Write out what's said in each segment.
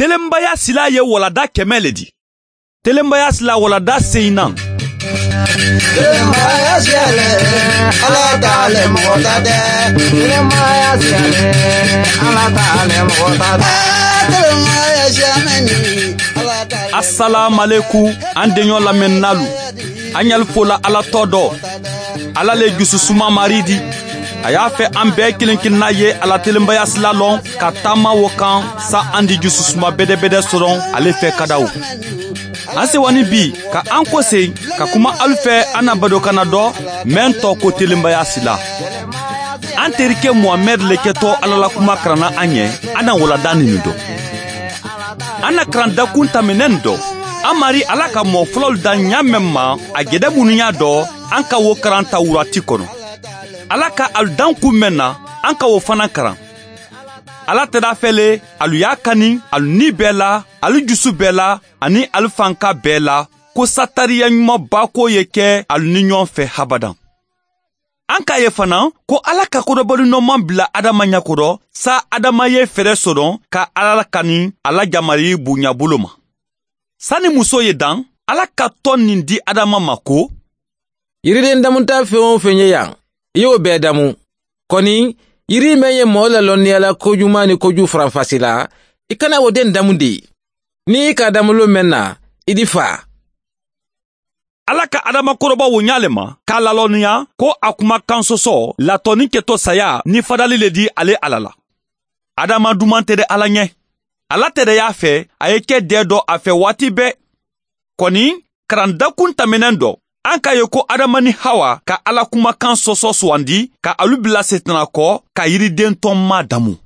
Telenbaya sila ye walada 100 le di. Telenbaya sila walada 4nan. Telenbaya siyale, Ala t'ale mɔgɔ ta tɛ. Telenbaya siyale, Ala t'ale mɔgɔ ta tɛ. Telenbaya siyamɛni, Ala t'ale. Assalamu alaikum an denɲɔ lamɛnnalu. An y'al fola Ala tɔ dɔ. Ala le jususuma mari di. A y'a fɛ an bɛɛ kelen kelenna ye Ala telenbaya sila lɔn ka taama wo kan sa an di jususuma bɛdɛbɛdɛ sɔrɔ ale fɛ kadaw. An sewani bi ka an kɔsen ka kuma alu fɛ an na badokana dɔ mɛn tɔ ko telenbaya sila. An terikɛ Muhamɛd le kɛtɔ Ala la kuma karanna an ɲɛ, an na walada nin dɔ. An na karan dakun taminen dɔ. An mari Ala ka mɔɔ fɔlɔlu dan ɲa mɛn ma a gɛdɛ minnu y'a dɔ, an ka wo karan Tawurati kɔnɔ. Ala ka alu dan kun mɛn na, an ka wo fana karan. Ala tɛda fɛ le, alu y'a kani, alu ni bɛɛ la, alu jusu bɛɛ la, ani alu fanka bɛɛ la, ko satariya ɲuman ba ko ye kɛ alu ni ɲɔgɔn fɛ habadan. An k'a ye fana ko Ala ka kodɔbɔli nɔman bila Adama ɲɛkɔrɔ, sa Adama ye fɛɛrɛ sɔrɔ ka Ala kani a la jamari bonya bolo ma. Sani muso ye dan, Ala ka tɔn nin di Adama ma ko, Yiriden damuta fɛn o fɛn ye yan, i y'o bɛɛ damu. Kɔni, yiri mɛn ye mɔɔ la lɔnniya la kojuman ni koju faranfasi la, i kana o den damu de. N'i ka damulo mɛn na, i di fa. Ala ka Adama kɔrɔbɔ wo ɲa le ma, k'a lalɔnniya ko a kumakan sɔsɔ latɔni kɛtɔ saya ni fadali le di ale Ala la. Adama duman tɛ dɛ Ala ɲɛ. Ala tɛ dɛ y'a fɛ, a ye kɛ dɛ dɔ a fɛ waati bɛɛ. Kɔni, karandakun tɛmɛnen dɔ, an k'a ye ko Adama ni Hawa ka Ala kumakan sɔsɔ sugandi ka alu bila setana kɔ ka yiriden tɔn ma damu.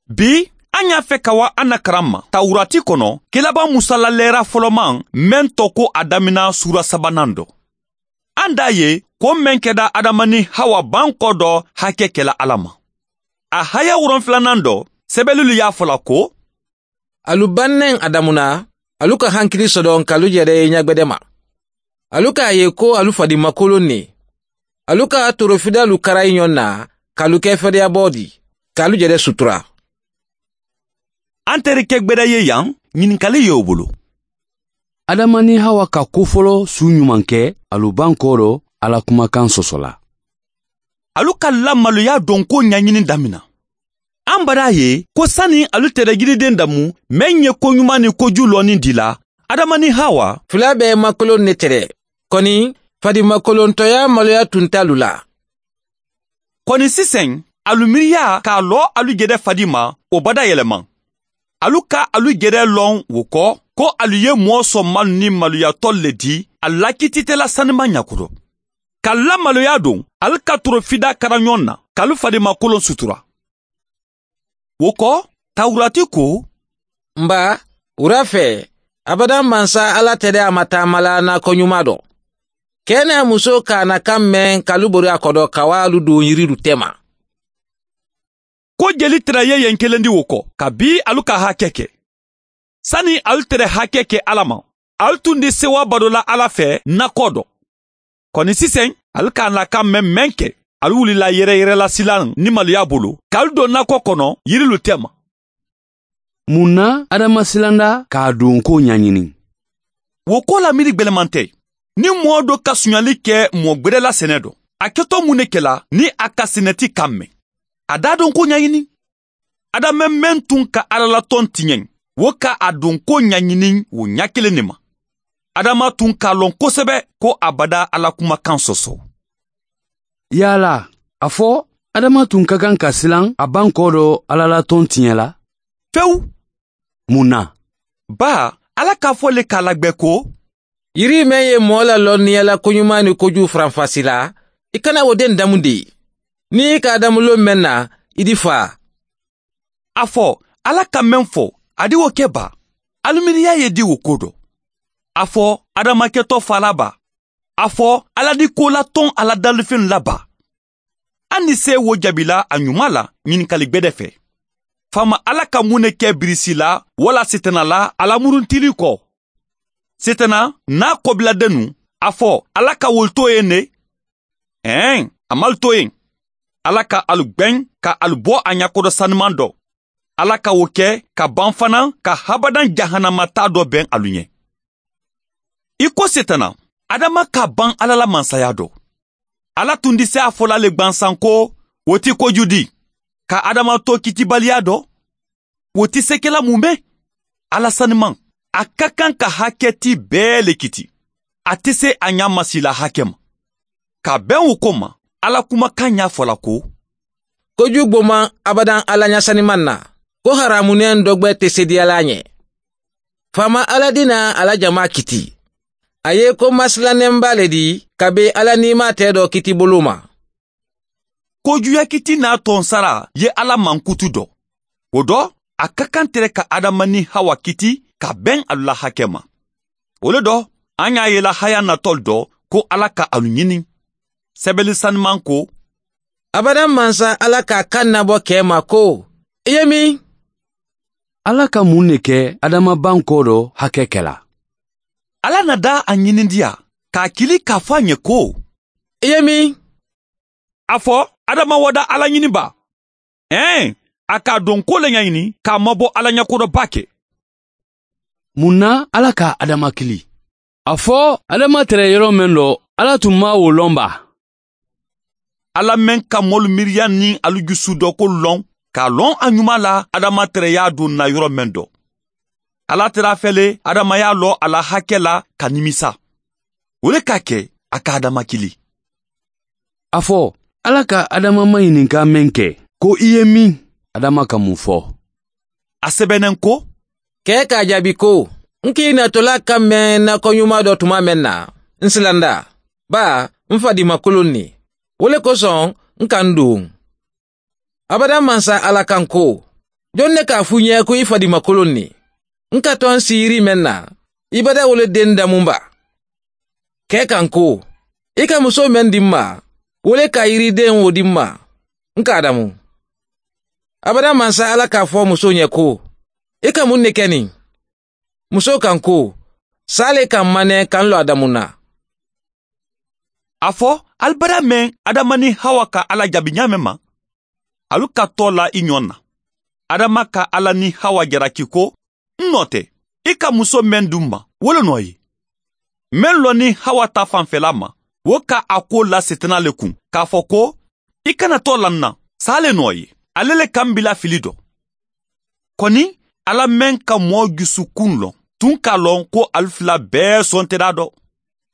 Bi, an y'a fɛ ka wa an na karan ma. Tawurati kɔnɔ, kelaba Musa la lɛra fɔlɔman mɛn tɔ ko a damina sura 3nan dɔ. An d'a ye ko mɛn kɛda Adama ni Hawa ban kɔ dɔ hakɛ kɛla Ala ma. A haya 7nan dɔ, sɛbɛnnilu y'a fɔla ko, Alu bannen Adamu na, alu ka hankili sɔdɔn k'alu yɛrɛ ye ɲagbɛdɛ ma. Alu k'a ye ko alu fadimakolon ne. Alu ka torofidalu kara ɲɔgɔn na, k'alu kɛ fɛrɛyabɔ di, k'alu yɛrɛ sutura. An terikɛ gbɛdɛ ye yan, ɲininkali y'o bolo. Adama ni Hawa ka ko fɔlɔ su ɲuman kɛ, alu ban kɔrɔ Ala kumakan sɔsɔ la. Alu ka lamaloya dɔn ko ɲɛɲini damina. An bara ye ko sani alu tɛrɛ yiriden damu, mɛn ye ko ɲuman ni koju lɔnni di la, Adama ni Hawa fila bɛɛ makolon ne tɛrɛ. Kɔni, fadimakolontɔya maloya tun t'alu la. Kɔni sisan, alu miiriya k'a lɔ alu jɛdɛ fadi ma, o bada yɛlɛma. Alu ka alu jɛrɛ lɔn wo kɔ, ko alu ye mɔɔ sɔnmalu ni maloyatɔ le di, a lakititɛla sanima ɲakɔrɔ. Ka lamaloya don, alu ka torofida kara ɲɔgɔn na, k'alu fadimakolon sutura. Wo kɔ, Tawurati ko, Nba, wura fɛ, abadan mansa Ala tɛ dɛ a ma taama la n'a ko ɲuman dɔn. Kɛ n'a muso k'a na kan mɛn k'alu bori a kɔdɔ ka wa alu don yiridu tɛma. Ko jeli tɛrɛ ye yen kelen di wo kɔ, ka bi alu ka hakɛ kɛ. Sani alu tɛrɛ hakɛ kɛ Ala ma, alu tun di sewa bado la Ala fɛ nakɔ dɔ. Kɔni sisan, alu k'a na kan mɛn mɛn kɛ, alu wulila yɛrɛ yɛrɛ la silan ni maloya bolo, k'alu don nakɔ kɔnɔ yirilu tɛma. Mun na Adama silanda k'a don ko ɲɛɲini? Wo ko la miiri gbɛlɛman tɛ. Ni mɔɔ dɔ ka suɲali kɛ mɔɔ gbɛrɛ la sɛnɛ dɔ, a kɛtɔ mun de kɛla ni a ka sɛnɛti kan mɛn? A d'a dɔn ko ɲɛɲini. Adama mɛn tun ka Ala la tɔn tiɲɛ, wo ka a don ko ɲɛɲini o ɲɛ kelen de ma. Adama tun k'a lɔn kosɛbɛ ko a bada Ala kumakan sɔsɔ. Yala, a fɔ Adama tun ka kan ka silan a ban kɔ dɔ Ala la tɔn tiɲɛ la? Fewu. Mun na? Ba, Ala k'a fɔ le k'a lagbɛ ko, Yiri mɛn ye mɔɔ la lɔnniya la koɲuman ni koju faranfasi la, i kana o den damu de. N'i ka damulo mɛn na, i di fa. A fɔ, Ala ka mɛn fɔ, a di o kɛ ba. Aluminiya ye di o ko dɔ. A fɔ, Adama kɛtɔ fa la ba. A fɔ, Ala di ko la tɔn Ala dalifɛn la ba. An ni se wo jaabi la a ɲuman la ɲininkali gbɛdɛ fɛ. Faama Ala ka mun de kɛ birisi la wala setana la ala muruntili kɔ. Setana n'a kɔbiladennu, a fɔ Ala ka wol to yen ne? Ɛn, a mal to yen. Ala ka alu gbɛn ka alu bɔ a ɲakɔrɔ sanuman dɔ. Ala ka o kɛ ka ban fana ka habadan jahanama ta dɔ bɛn alu ɲɛ. I ko Setana, Adama ka ban Ala la mansaya dɔ. Ala tun di se a fɔla le gwansan ko o ti koju di ka Adama to kitibaliya dɔ. O ti se kɛla mun bɛ? Ala saniman, a ka kan ka hakɛti bɛɛ le kiti. A tɛ se a ɲa masila hakɛ ma. Ka bɛn o ko ma, Ala kumakan y'a fɔla ko koju gboman abadan Ala ɲasaniman na, ko haramunen dɔgbɛ tɛ se diyala ɲɛ. Faama Ala dina ala jama kiti. A ye ko masilanɛnba le di ka be Ala nima tɛ dɔ kiti bolo ma. Kojuya kiti n'a tɔn sara ye Ala mankutu dɔ. O dɔ, a ka kan tɛrɛ ka Adama ni Hawa kiti ka bɛn alu la hakɛ ma. O le dɔ, an y'a yela haya natɔl dɔ ko Ala ka alu ɲini. Sɛbɛli saniman ko abadan mansa Ala k'a kan nabɔ kɛ ma ko i ye min? Ala ka mun de kɛ Adama ban kɔ dɔ hakɛ kɛla? Ala na da a ɲinindiya k'a kili k'a fɔ a ɲɛ ko i ye min? A fɔ Adama wada Ala ɲini ba. Ɛn, a k'a dɔn ko le ɲaɲini k'a mabɔ Ala ɲɛkɔrɔba kɛ. Mun na Ala ka Adama kili? A fɔ Adama tɛrɛ yɔrɔ min dɔ, Ala tun ma o lɔn ba. Ala mɛn ka mɔlu miiriya ni alu jusu dɔ ko lɔn, k'a lɔn a ɲuman la Adama tɛrɛ y'a don na yɔrɔ mɛn dɔ. Ala tɛrɛ a fɛle Adama y'a lɔ a la hakɛ la ka nimisa. O le k'a kɛ a ka Adama kili. A fɔ Ala ka Adama maɲininka mɛn kɛ ko i ye min? Adama ka mun fɔ? A sɛbɛnnen ko kɛ k'a jaabi ko n k'i natɔla ka mɛn nakɔ ɲuman dɔ tuma mɛn na, n silanda ba n fadimakolon ni. O le kosɔn n ka n don. Abadan mansa Ala kan ko jɔn ne k'a f'u ɲɛ ko i fadimakolon ni? N ka tɔn siyiri mɛn na, i bada wole den damunba. Kɛ kan ko i ka muso mɛn di n ma, wole ka yiriden wo di n ma, n k'a damu. Abadan mansa Ala k'a fɔ muso ɲɛ ko i ka mun de kɛ nin? Muso kan ko sale ka manɛ kan lɔ Adamu na. A fɔ alibada mɛn Adama ni Hawa ka Ala jaabi ɲa mɛn ma, alu ka tɔ la i ɲɔ na. Adama ka Ala ni Hawa jalaki ko n nɔ tɛ, i ka muso mɛn dun ma, wolo nɔ ye. Mɛn lɔ ni Hawa ta fanfɛla ma, o ka a ko la Setana le kun, k'a fɔ ko i kana tɔ la n na, sa le nɔ ye. Ale le kan bila fili dɔ. Kɔni Ala mɛn ka mɔɔ jusukun lɔn, tun k'a lɔn ko alu fila bɛɛ sɔn tɛra dɔ.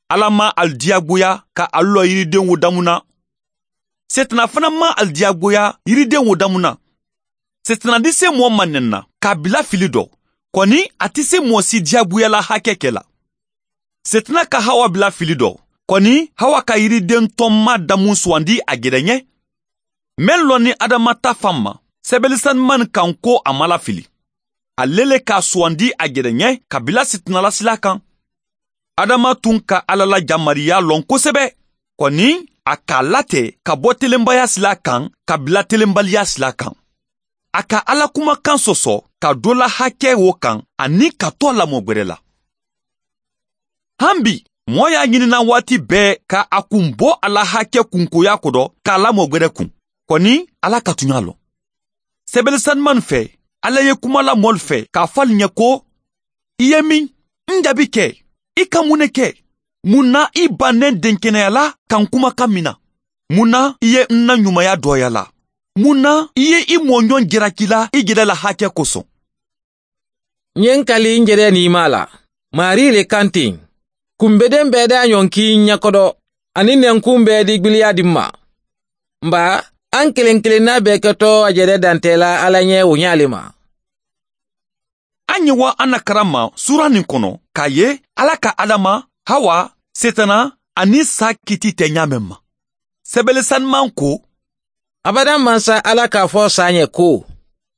Ala ma alu diyagoya ka alu lɔ yiriden wo damu na. Setana fana ma alu diyagoya yiriden wo damu na. Setana di se mɔɔ ma nɛn na k'a bila fili dɔ. Kɔni a tɛ se mɔɔ si diyagoya la hakɛ kɛ la. Setana ka Hawa bila fili dɔ. Kɔni Hawa ka yiriden tɔnma damu sugandi a gɛrɛ ɲɛ. Mɛn lɔ ni Adama ta fan ma, sɛbɛnni kan ko a ma lafili. Ale le k'a sugandi a gɛrɛ ɲɛ ka bila Setana la sila kan. Adama tun ka Ala la jamariya lɔn kosɛbɛ. Kɔni a k'a latɛ ka bɔ telenbaya sila kan ka bila telenbaliya sila kan. A ka Ala kumakan sɔsɔ ka dɔ la hakɛ wo kan ani ka tɔ lamɔ gwɛrɛ la. Han bi, mɔɔ y'a ɲinina waati bɛɛ ka a kun bɔ a la hakɛ kunkoya ko dɔ k'a lamɔ gwɛrɛ kun. Kɔni Ala ka tun y'a lɔn. Sɛbɛnni sanuman fɛ, Ala ye kuma la mɔli fɛ k'a fɔ ali ɲɛ ko i ye min? N jaabi kɛ. I ka mun ne kɛ? Mun na i bannen denkɛnɛya la ka n kumakan min na? Mun na i ye n na ɲumanya dɔgɔya la? Mun na i ye i mɔɲɔn jalaki la i yɛrɛ la hakɛ kosɔn? N ye n kali n yɛrɛ nima la. Mari le kan ten. Kunbeden bɛɛ da ɲɔnki ɲɛkɔdɔ ani nɛnkun bɛɛ di gbiliya di ma. Nba an kelen kelenna bɛɛ kɛtɔ a yɛrɛ dantɛ la Ala ɲɛ o ɲale ma. An ye wa an na karama sura nin kɔnɔ k'a ye Ala ka Adama, Hawa, Setana ani sa kiti tɛ ɲa mɛn ma. Sɛbɛnni sanuman ko abadan mansa Ala k'a fɔ sa ɲɛ ko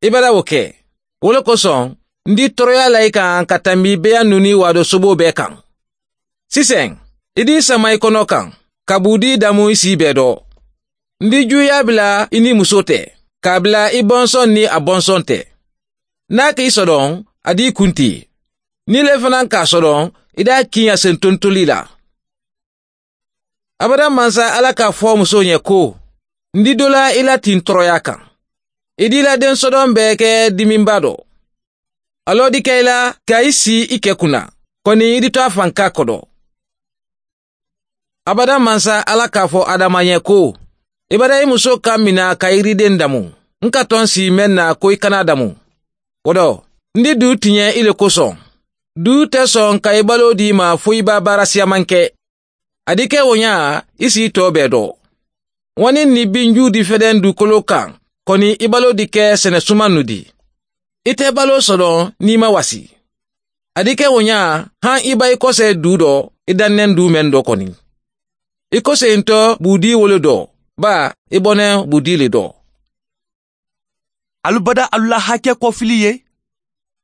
i bɛra o kɛ. O le kosɔn n di tɔɔrɔya la i kan ka tanbi beya nuni wado sobo bɛɛ kan. Sisan i di sama i kɔnɔ kan ka budi damu i si bɛɛ dɔ. N di juya bila i ni muso tɛ, k'a bila i bɔnsɔn ni a bɔnsɔn tɛ. N'a k'i sɔdɔn, a d'i kunti. Ni le fana k'a sɔdɔn, i d'a kin a sen tontoli la. Abadan mansa Ala k'a fɔ muso ɲɛ ko n di dɔ la i la tin tɔɔrɔya kan. I d'i la den sɔdɔn bɛɛ kɛ diminba dɔ. Alɔ di kɛ i la ka i si i kɛ kunna, kɔni i di to a fanka kɔdɔ. Abada mansa Ala k'a fɔ Adama ɲɛ ko, i bada i muso ka mina ka yiriden damu. N ka tɔn si mɛn na ko i kana damu. O dɔ, n di du tiɲɛ i le kosɔn. Du tɛ sɔn ka i balo di ma fo i b'a baara siyaman kɛ. A di kɛ o ɲa, i si tɔ bɛɛ dɔ. Wani ni binju di fɛdɛn dukolo kan, kɔni i balo di kɛ sɛnɛsuman nu di. I tɛ balo sɔrɔ n'i ma wasi. A di kɛ o ɲa, han i ba i kɔsɛ du dɔ, i dannɛn du mɛn dɔ kɔni. I kɔsentɔ b'u di wolo dɔ, ba i bɔnɛ b'u di le dɔ. Alubada alula hakɛ kɔfili ye,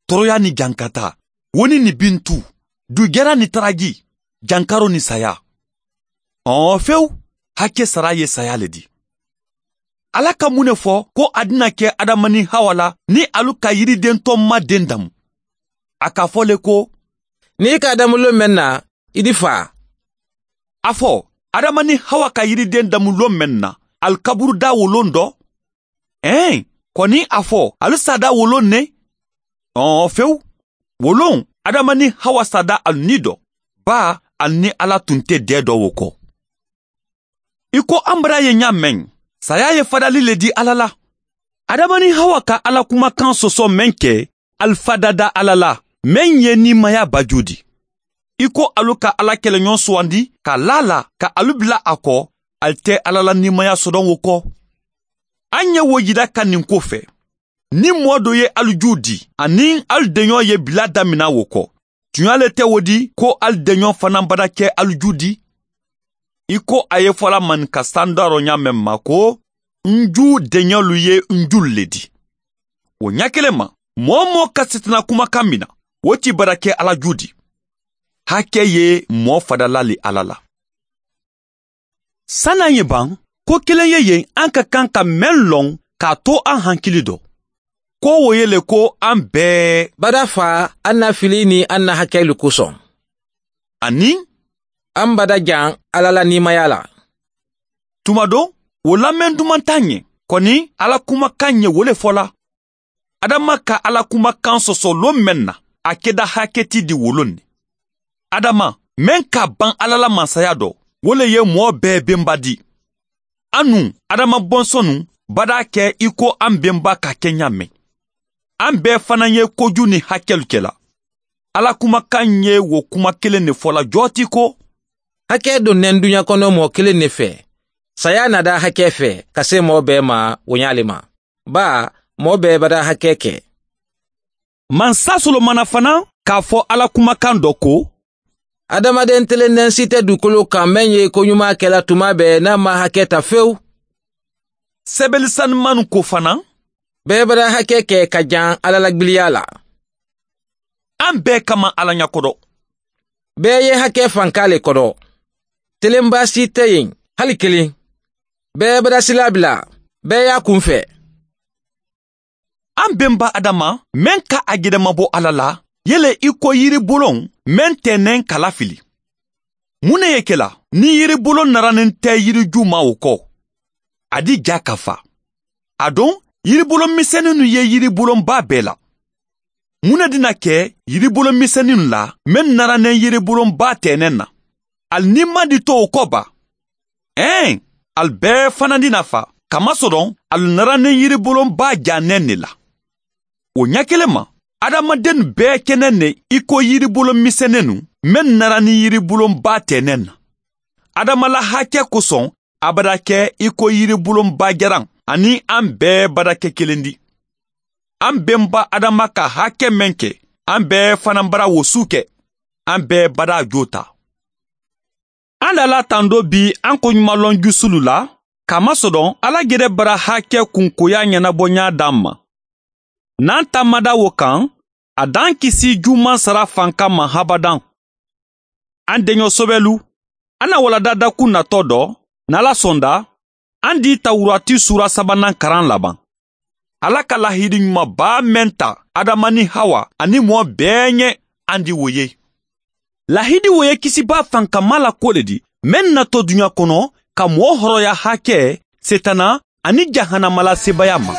tɔɔrɔya ni jankata, woni ni bintu, dugɛra ni taraji, jankaro ni saya. Ɔn fewu, hakɛ sara ye saya le di. Ala ka mun ne fɔ ko a dina kɛ Adama ni Hawa la ni alu ka yiriden tɔ ma den damu? A k'a fɔ le ko, n'i ka damu lon mɛn na, i di fa. A fɔ, Adama ni Hawa ka yiriden damu lon mɛn na, alu kaburu da wolon dɔ? Ɛn, kɔni a fɔ, alu sada wolon ne? Ɔn fewu, wolon, Adama ni Hawa sada alu ni dɔ, ba alu ni Ala tun tɛ dɛ dɔ wo kɔ. I ko an bara ye ɲa mɛn, saya ye fadali le di Ala la. Adama ni Hawa ka Ala kumakan sɔsɔ mɛn kɛ, alu fadada Ala la, mɛn ye nimaya baju di. I ko alu ka Ala kɛlɛɲɔgɔn sugandi ka la la ka alu bila a kɔ, alu tɛ Ala la nimaya sɔdɔn wo kɔ. An ye wo yira ka nin ko fɛ. Ni mɔɔ dɔ ye alu ju di, ani alu denɲɔ ye bila damina wo kɔ. Tuɲa le tɛ wo di ko alu denɲɔ fana bada kɛ alu ju di. I ko a ye fɔla maninka san darɔ ɲa mɛn ma ko n ju deɲɔlu ye n ju le di. O ɲa kelen ma, mɔɔ mɔɔ ka sitanɛ kumakan mina, o ti bara kɛ Ala ju di. Hakɛ ye mɔɔ fadala le Ala la. San'an ye ban, ko kelen ye yen an ka kan ka mɛn lɔn k'a to an hakili dɔ. Ko o ye le ko an bɛɛ bada fa an na fili ni an na hakɛlu kosɔn. Ani an bada jan Ala la nimaya la. Tuma dɔ, o lamɛn duman t'an ɲɛ, kɔni Ala kumakan ɲɛ wo le fɔla. Adama ka Ala kumakan sɔsɔ lon mɛn na, a kɛda hakɛti di wolon ne. Adama, mɛn ka ban Ala la masaya dɔ, wo le ye mɔɔ bɛɛ benba di. Anu, Adama bɔnsɔnnu, bada kɛ i ko an benba ka kɛ ɲa mɛn. An bɛɛ fana ye koju ni hakɛlu kɛla. Ala kumakan ye wo kuma kelen de fɔla jɔti ko, hakɛ donnen duɲa kɔnɔ mɔɔ kelen ne fɛ. Saya nada hakɛ fɛ ka se mɔɔ bɛɛ ma woɲa le ma. Ba, mɔɔ bɛɛ bada hakɛ kɛ. Mansa Solomana fana k'a fɔ Ala kumakan dɔ ko, adamaden telennen si tɛ dugukolo kan mɛn ye koɲuman kɛla tuma bɛɛ n'a ma hakɛ ta fewu. Sɛbɛnni sanuman ko fana, bɛɛ bada hakɛ kɛ ka jan Ala la gbiliya la. An bɛɛ kama Ala ɲɛkɔrɔ. Bɛɛ ye hakɛ fanka le kɔrɔ. Telenba si tɛ yen, hali kelen. Bɛɛ bada sila bila, bɛɛ y'a kun fɛ. An bɛnba Adama, mɛn ka a gɛrɛmabɔ Ala la, yele i ko yiribolon mɛn tɛnɛn kala fili. Mun ne ye kɛla ni yiribolon naranen tɛ yiriju ma o kɔ? A di ja ka fa. A don, yiribolon misɛnninnu ye yiribolonba bɛɛ la. Mun ne dina kɛ yiribolon misɛnninnu la mɛn naranen yiribolonba tɛnɛn na? Al ni ma di to o kɔ ba. Ɛn, al bɛɛ fana dina fa, kamasɔrɔ al naranen yiribolonba janɛn ne la. O ɲɛ kelen ma, adamaden bɛɛ kɛnɛ ne i ko yiribolon misɛnninnu mɛn nara ni yiribolonba tɛnɛn na. Adama la hakɛ kosɔn a bada kɛ i ko yiribolonba jaran ani an bɛɛ bada kɛ kelen di. An bɛnba Adama ka hakɛ mɛn kɛ, an bɛɛ fana bara wosu kɛ, an bɛɛ bada jo ta. An lala tando bi an ko ɲumanlɔn jusulu la, kamasɔrɔ Ala gɛrɛ bara hakɛ kunkoya ɲɛnabɔ ɲa d'an ma. N'an taamada wo kan, a d'an kisi juman sara fanka ma habadan. An deɲɔ sɔbɛlu, an na walada dakun natɔ dɔ, n'Ala sɔnda, an di Tawurati sura sabanan karan laban. Ala ka lahidi ɲumanba mɛn ta Adama ni Hawa ani mɔɔ bɛɛ ɲɛ an di wo ye. Lahidi wo ye kisiba fankama la ko le di, mɛn natɔ duɲa kɔnɔ ka mɔɔ hɔrɔnya hakɛ, setana ani jahanama la sebaya ma.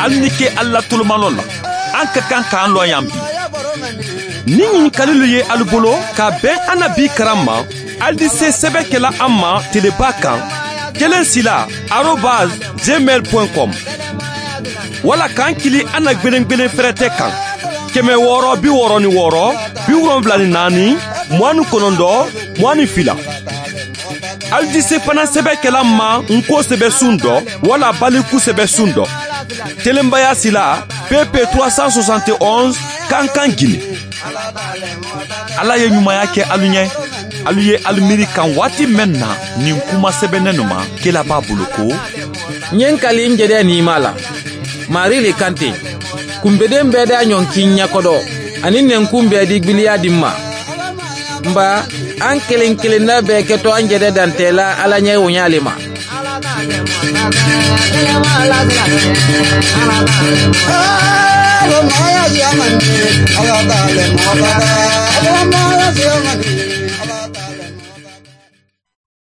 Hali ni ke ala tolomalɔ la, an ka kan k'an lɔ yan bi. Ni ɲininkalilu ye alu bolo ka bɛn an na bi karan ma, alu di se sɛbɛ kɛla an ma teleba kan 1sila@gmail.com, wala k'an kili an na gwelen fɛrɛtɛ kan 666 74 29 22. Alu di se fana sɛbɛ kɛla ma nko sɛbɛ sun dɔ wala baliku sɛbɛ sun dɔ telenbaya sila PP 371, Kankan, Gine. Ala ye ɲumanya kɛ alu ɲɛ. Alu ye alu miiri kan waati mɛn na nin kuma sɛbɛnnen nu ma, kela b'a bolo ko: N ye n kali n jɛdɛ nima la, mari le kan ten, kunbeden bɛɛ da ɲɔnki ɲɛkɔdɔ ani nɛnkun bɛɛ di gbiliya di n ma. Nba an kelen kelenna bɛɛ kɛtɔ an jɛdɛ dantɛla Ala ɲɛ woɲa le ma. Ala